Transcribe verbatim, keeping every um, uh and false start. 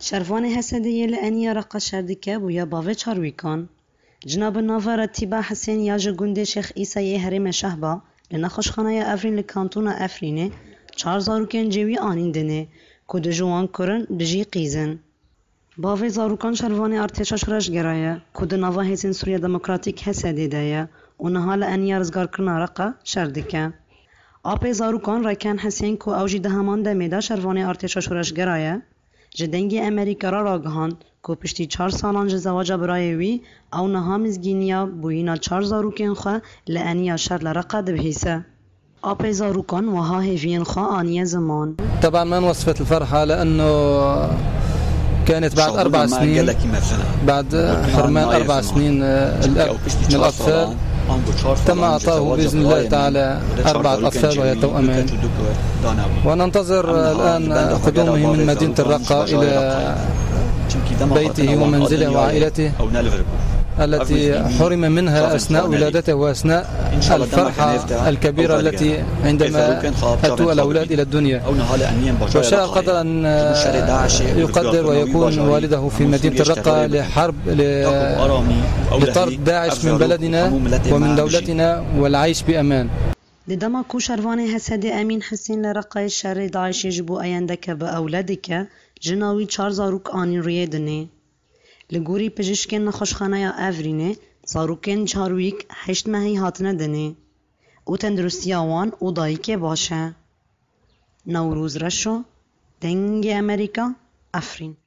Şervanê H S D'yê li Eniya Reqa şer dike bûye bavê çarwîkan. Jina bi nava Retîba Hisên ya ji gundê Şêx Îsa yê herêmê Şehba li nexweşxaneya Efrîn li kantona Efrînê çar zarokên cêwî anîn dinê ku du ji wan kur in, du jî qîz in. Bavê zarokan şervanê Artêşa Şoreşgera ye ku di nava Hêzên Sûriya Demokratîk H S D de ye û niha li Eniya Rizgarkirina Reqa şer dike. Apê zarokan Reken Hisên ku ew jî di heman demê de şervanê Artêşa Şoreşgera ye, ji Dengê Amerîka re ragihand ku piştî çar salan ji zewaca birayê wî, ew niha mizgîniya bûyîna çar zarokên xwe li Eniya şer li Reqa dibihîse. Apê zarokan wiha hêviyên xwe aniye ziman. طبعا ما نوصفت الفرحة لأنه كانت بعد أربع سنين، بعد حرمان أربع سنين، آه، الأب من الأطفال تم إعطائه بإذن الله تعالى أربعة أطفال وهي توأمان. وننتظر الآن قدومه من مدينة الرقة إلى بيته ومنزله وعائلته التي حرم منها أثناء ولادته وأثناء الفرحة الكبيرة التي عندما أتوا الأولاد إلى الدنيا. وشاء القدر أن يقدر ويكون والده في مدينة الرقة لحرب، ل-، لطرد داعش من بلدنا ومن دولتنا والعيش بأمان. Di dema ku şervanê H S D Emîn Hisên li Reqayê şerê DAIŞê ji bo eyendeke bi ewle dike, jina wî çar zarok anîn rûyê dinê. Li gorî pijîşkên nexweşxaneya Evrînê, zarokên çarwîk heşt mehî hatine dinê û tenduristiya wan û dayikê baş e. Newroz Reşo, Dengê Amerîka, Efrîn.